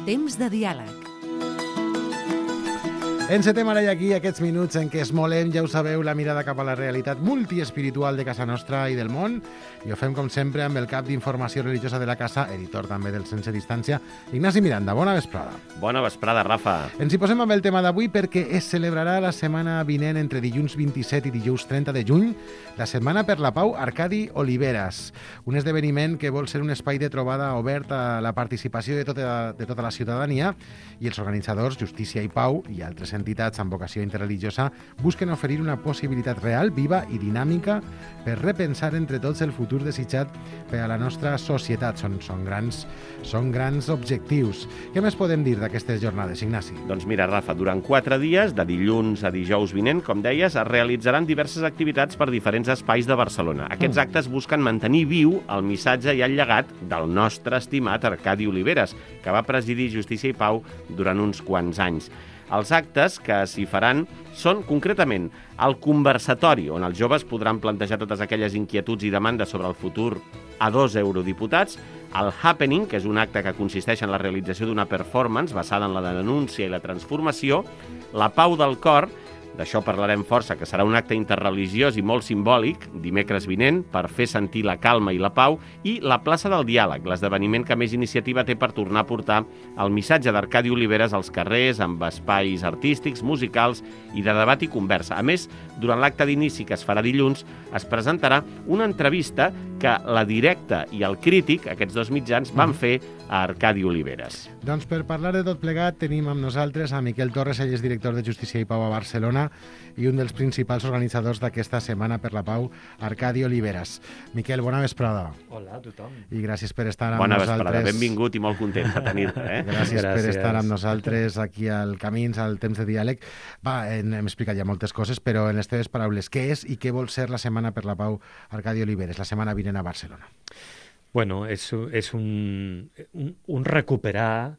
Temps de diàleg. Encetem ara i aquí aquests minuts en què esmolem, ja ho sabeu, la mirada cap a la realitat multiespiritual de casa nostra i del món, i ho fem com sempre amb el cap d'informació religiosa de la casa, editor també del Sense Distància, Ignasi Miranda. Bona vesprada. Bona vesprada, Rafa. Ens hi posem amb el tema d'avui perquè es celebrarà la setmana vinent entre dilluns 27 i dijous 30 de juny la Setmana per la Pau Arcadi Oliveres, un esdeveniment que vol ser un espai de trobada obert a la participació de tota la ciutadania, i els organitzadors, Justícia i Pau, i altres entitats amb vocació interreligiosa busquen oferir una possibilitat real, viva i dinàmica per repensar entre tots el futur desitjat per a la nostra societat. Són grans objectius. Què més podem dir d'aquestes jornades, Ignasi? Doncs mira, Rafa, durant 4 dies, de dilluns a dijous vinent, com deies, es realitzaran diverses activitats per diferents espais de Barcelona. Aquests actes busquen mantenir viu el missatge i el llegat del nostre estimat Arcadi Oliveres, que va presidir Justícia i Pau durant uns quants anys. Els actes que s'hi faran són, concretament, el conversatori, on els joves podran plantejar totes aquelles inquietuds i demandes sobre el futur a 2 eurodiputats, el Happening, que és un acte que consisteix en la realització d'una performance basada en la denúncia i la transformació, la Pau del Cor, d'això parlarem força, que serà un acte interreligiós i molt simbòlic, dimecres vinent, per fer sentir la calma i la pau, i la plaça del Diàleg, l'esdeveniment que més iniciativa té per tornar a portar el missatge d'Arcadi Oliveres als carrers, amb espais artístics, musicals i de debat i conversa. A més, durant l'acte d'inici que es farà dilluns, es presentarà una entrevista que la Directa i el Crític, aquests 2 mitjans, van fer a Arcadi Oliveres. Doncs per parlar de tot plegat tenim amb nosaltres a Miquel Torres, ell és director de Justícia i Pau a Barcelona i un dels principals organitzadors d'aquesta Setmana per la Pau, Arcadi Oliveres. Miquel, bona vesprada. Hola a tothom. I gràcies per estar amb Bona nosaltres. vesprada, benvingut i molt content de tenir-te. Gràcies per estar amb nosaltres aquí al Camins, al Temps de Diàleg. Hem explicat ja moltes coses, però en les teves paraules, què és i què vol ser la Setmana per la Pau Arcadi Oliveres, la setmana vinent a Barcelona? Bueno, és un recuperar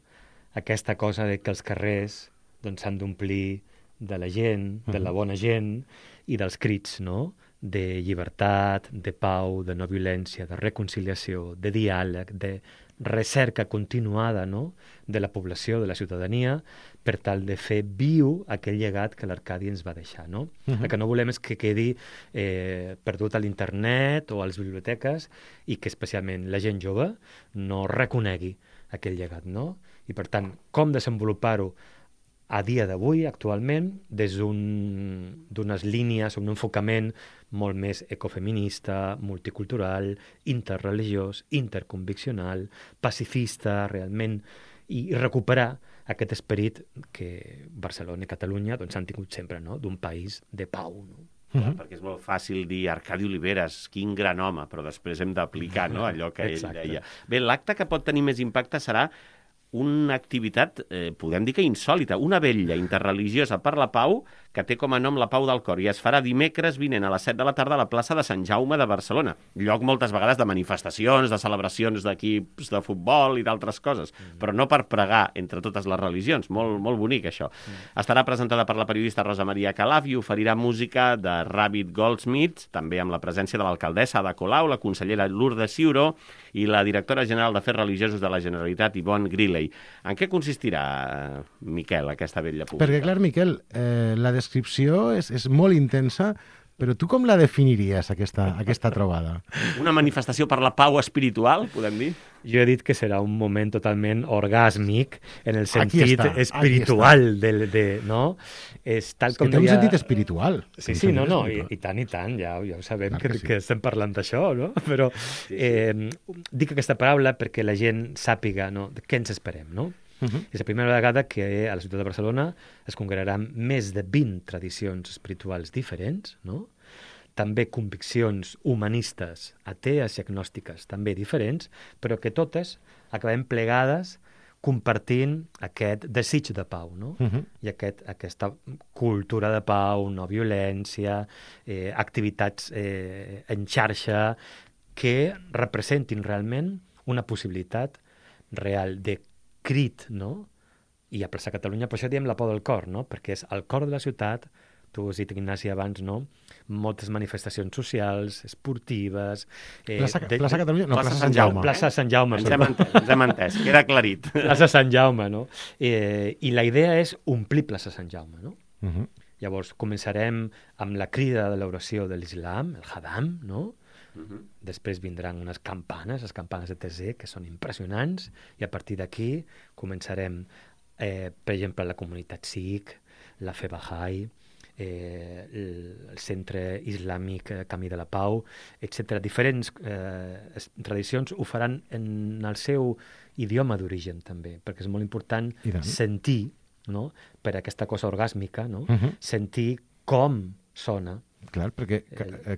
aquesta cosa de que els carrers s'han d'omplir de la gent, de la bona gent i dels crits, no?, de llibertat, de pau, de no violència, de reconciliació, de diàleg, de recerca continuada, no?, de la població, de la ciutadania, per tal de fer viu aquell llegat que l'Arcadi ens va deixar, no? El que no volem és que quedi perdut a l'internet o a les biblioteques i que especialment la gent jove no reconegui aquell llegat, no? I per tant, com desenvolupar-ho a dia d'avui, actualment, des d'unes línies, un enfocament molt més ecofeminista, multicultural, interreligiós, interconviccional, pacifista, realment, i recuperar aquest esperit que Barcelona i Catalunya han tingut sempre, no?, d'un país de pau, no? Clar, perquè és molt fàcil dir Arcadi Oliveres, quin gran home, però després hem d'aplicar, no?, allò que ell deia. Bé, l'acte que pot tenir més impacte serà una activitat, podem dir que insòlita, una vetlla interreligiosa per la pau que té com a nom la Pau del Cor, i es farà dimecres vinent a les 7 de la tarda a la plaça de Sant Jaume de Barcelona, lloc moltes vegades de manifestacions, de celebracions d'equips de futbol i d'altres coses, però no per pregar entre totes les religions, molt bonic això. Estarà presentada per la periodista Rosa Maria Calaf i oferirà música de Rabbit Goldsmith, també amb la presència de l'alcaldessa Ada Colau, la consellera Lourdes Ciuró i la directora general d'Afers Religiosos de la Generalitat, Yvonne Griley. En què consistirà, Miquel, aquesta vetlla pública? Perquè, clar, Miquel, la descripció és molt intensa, però tu com la definiries, aquesta trobada? Una manifestació per la pau espiritual, podem dir? Jo he dit que serà un moment totalment orgàsmic en el sentit espiritual, no? És tal com que té un sentit espiritual. Sí, no, i tant, ja ho sabem que estem parlant d'això, no? Però dic aquesta paraula perquè la gent sàpiga, no?, de què ens esperem, no? És la primera vegada que a la ciutat de Barcelona es congregaran més de 20 tradicions espirituals diferents, no?, també conviccions humanistes, atees i agnòstiques, també diferents, però que totes acabem plegades compartint aquest desig de pau, no? I aquesta cultura de pau, no violència, activitats en xarxa que representin realment una possibilitat real de crit, no?, i a plaça Catalunya, per això diem la Pau del Cor, no?, perquè és el cor de la ciutat, tu has dit, Ignasi, abans, no? Moltes manifestacions socials, esportives... Plaça Catalunya? No, Plaça Sant Jaume. Plaça Sant Jaume. Ens hem entès, queda aclarit. Plaça Sant Jaume, no? I la idea és omplir Plaça Sant Jaume, no? Llavors, començarem amb la crida de l'oració de l'islam, el Hadam, no? Després vindran unes campanes, les campanes de Tezé, que són impressionants, i a partir d'aquí començarem, per exemple, la comunitat Sikh, la Fe Bahá'í, el Centre Islàmic Camí de la Pau, etc. Diferents tradicions ho faran en el seu idioma d'origen, també, perquè és molt important sentir, no? Per aquesta cosa orgàsmica, no? Sentir com sona. Clar, perquè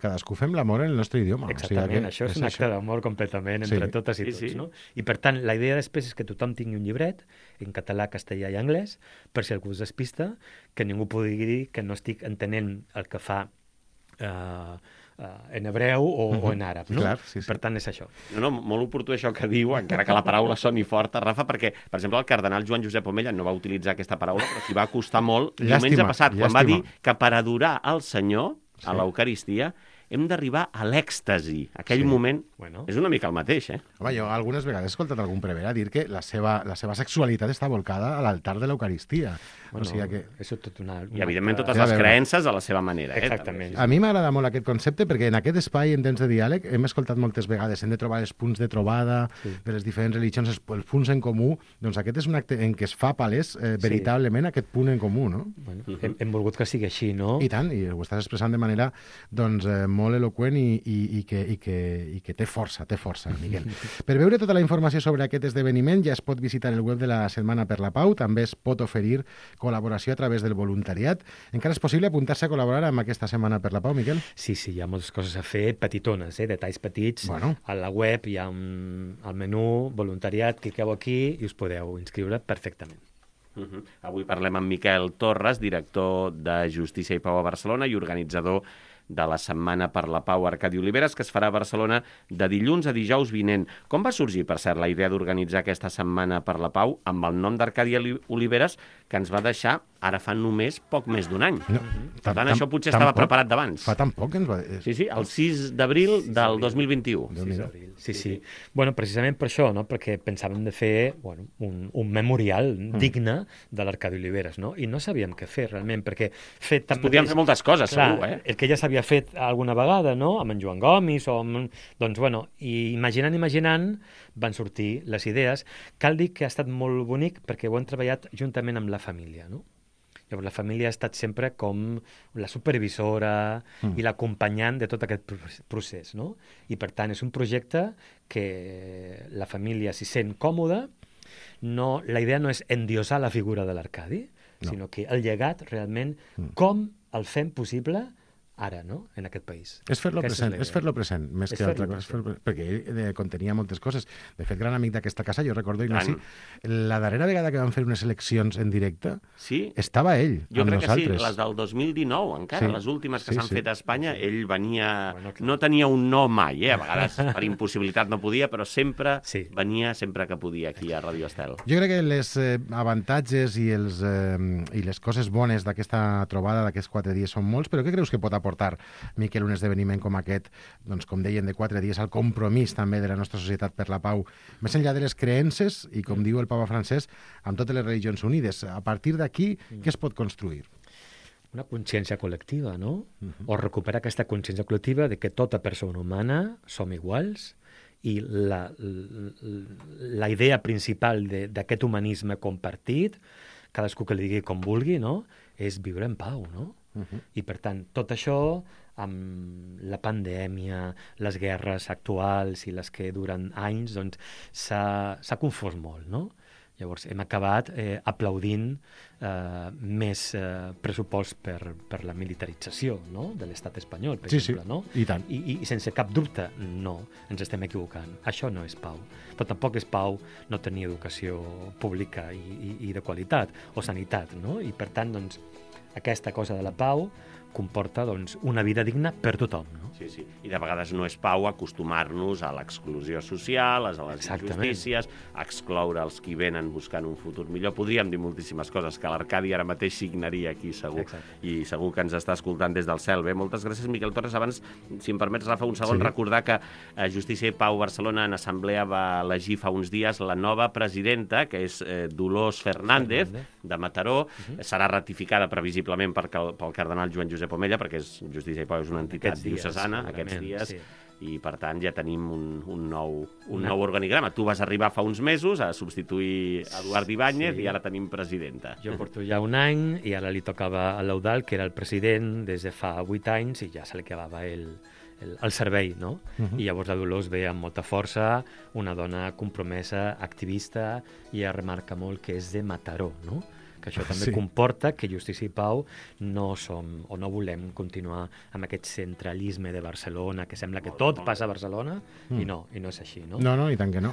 cadascú fem l'amor en el nostre idioma. Exactament, això és un acte d'amor completament entre totes i tots, no? I per tant, la idea després és que tothom tingui un llibret en català, castellà i anglès, per si algú es despista, que ningú pugui dir que no estic entenent el que fa en hebreu o en àrab, no? Clar, sí. Per tant, és això. No, molt oportú això que diu, encara que la paraula soni forta, Rafa, perquè, per exemple, el cardenal Joan Josep Omella no va utilitzar aquesta paraula, però s'hi va costar molt diumenge passat, quan va dir que per adorar el Senyor a l'Eucaristia hem d'arribar a l'èxtasi. Aquell moment és una mica el mateix, Home, jo algunes vegades he escoltat algun prevere dir que la seva sexualitat està volcada a l'altar de l'Eucaristia. Bueno, o sigui que... és tot una... I, evidentment, totes les creences a la seva manera. Exactament. A mi m'agrada molt aquest concepte perquè en aquest espai, en temps de diàleg, hem escoltat moltes vegades, hem de trobar els punts de trobada de les diferents religions, els punts en comú. Doncs aquest és un acte en què es fa palès veritablement aquest punt en comú, no? Bueno, hem volgut que sigui així, no? I tant, i ho estàs expressant de manera doncs, molt eloqüent i que té força, Miguel. Per veure tota la informació sobre aquest esdeveniment ja es pot visitar el web de la Setmana per la Pau, també es pot oferir col·laboració a través del voluntariat. Encara és possible apuntar-se a col·laborar amb aquesta Setmana per la Pau, Miquel? Sí, hi ha moltes coses a fer, petitones, detalls petits. Bueno. A la web hi ha al menú voluntariat, cliqueu aquí i us podeu inscriure perfectament. Avui parlem amb Miquel Torres, director de Justícia i Pau a Barcelona i organitzador de la Setmana per la Pau Arcadi Oliveres, que es farà a Barcelona de dilluns a dijous vinent. Com va sorgir, per cert, la idea d'organitzar aquesta Setmana per la Pau amb el nom d'Arcadi Oliveres, que ens va deixar ara fa només poc més d'un any? No, per tant, això potser estava preparat d'abans. Fa tan poc que ens va... Sí, el 6 d'abril del 2021. 6 d'abril, sí. Bueno, precisament per això, no? Perquè pensàvem de fer un memorial digne de l'Arcadi Oliveres, no? I no sabíem què fer, realment, perquè... Es podien fer moltes coses, segur, El que ja s'havia fet alguna vegada, no? Amb en Joan Gomis o amb... Doncs, bueno, i imaginant, van sortir les idees. Cal dir que ha estat molt bonic perquè ho hem treballat juntament amb la família, no? Llavors, la família ha estat sempre com la supervisora i l'acompanyant de tot aquest procés, no? I, per tant, és un projecte que la família s'hi sent còmoda. La idea no és endiosar la figura de l'Arcadi, sinó que el llegat, realment, com el fem possible ara, no?, en aquest país. És fer-lo present, més que altra cosa, perquè ell contenia moltes coses. De fet, gran amic d'aquesta casa, jo recordo, Ignasi, la darrera vegada que vam fer unes eleccions en directe, estava ell amb nosaltres. Jo crec que sí, les del 2019, encara, les últimes que s'han fet a Espanya, ell venia... No tenia un no mai, a vegades per impossibilitat no podia, però sempre venia, sempre que podia, aquí a Radio Estel. Jo crec que les avantatges i les coses bones d'aquesta trobada, d'aquests 4 dies, són molts, però què creus que pot aportar, Miquel, un esdeveniment com aquest, doncs, com deien, de 4 dies, al compromís també de la nostra societat per la pau, més enllà de les creences, i com diu el papa Francesc, amb totes les religions unides. A partir d'aquí, què es pot construir? Una consciència col·lectiva, no? O recuperar aquesta consciència col·lectiva de que tota persona humana som iguals i la idea principal d'aquest humanisme compartit, cadascú que li digui com vulgui, no?, és viure en pau, no? I, per tant, tot això, amb la pandèmia, les guerres actuals i les que duren anys, doncs s'ha confós molt, no? Llavors, hem acabat aplaudint més pressupost per la militarització, no?, de l'estat espanyol, per exemple, no? I tant. I sense cap dubte, no, ens estem equivocant. Això no és pau. Però tampoc és pau no tenir educació pública i de qualitat, o sanitat, no? I, per tant, doncs, aquesta cosa de la pau comporta doncs, una vida digna per tothom. No? Sí, sí. I de vegades no és pau acostumar-nos a l'exclusió social, a les injustícies, a excloure els qui venen buscant un futur millor. Podríem dir moltíssimes coses que l'Arcadi ara mateix signaria aquí, segur. Exacte. I segur que ens està escoltant des del cel. Bé, moltes gràcies, Miquel Torres. Abans, si em permets, Rafa, un segon, recordar que Justícia i Pau Barcelona en assemblea va elegir fa uns dies la nova presidenta, que és Dolors Fernández, de Mataró. Serà ratificada previsiblement pel cardenal Joan Josep Omella, perquè Justícia i Pau és una entitat diocesana aquests dies, i per tant ja tenim un nou organigrama. Tu vas arribar fa uns mesos a substituir Eduard Ibáñez i ara tenim presidenta. Jo porto ja un any i ara li tocava a l'Eudald, que era el president des de fa 8 anys, i ja se li acabava el servei, no? I llavors la Dolors ve amb molta força, una dona compromesa, activista, i ja remarca molt que és de Mataró, no? Que això també comporta que Justícia i Pau no som o no volem continuar amb aquest centralisme de Barcelona, que sembla que tot passa a Barcelona, i no és així, no? No, i tant que no.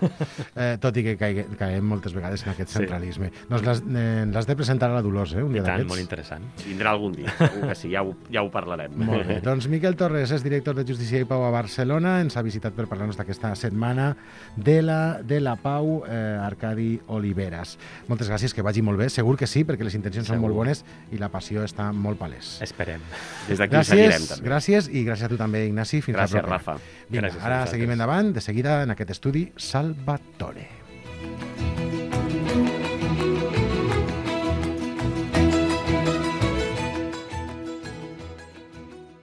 Tot i que caiem moltes vegades en aquest centralisme. Doncs l'has de presentar a la Dolors, un dia d'aquests. Molt interessant. Vindrà algun dia, segur que sí, ja ho parlarem. Molt bé. Doncs Miquel Torres és director de Justícia i Pau a Barcelona, ens ha visitat per parlar-nos d'aquesta setmana de la Pau, Arcadi Oliveras. Moltes gràcies, que vagi molt bé, segur que sí, perquè les intencions són molt bones i la passió està molt palès. Esperem. Des d'aquí seguirem, també. Gràcies, i gràcies a tu també, Ignasi. Fins la propera. Gràcies, Rafa. Vinga, ara seguim endavant, de seguida, en aquest estudi Salvatore.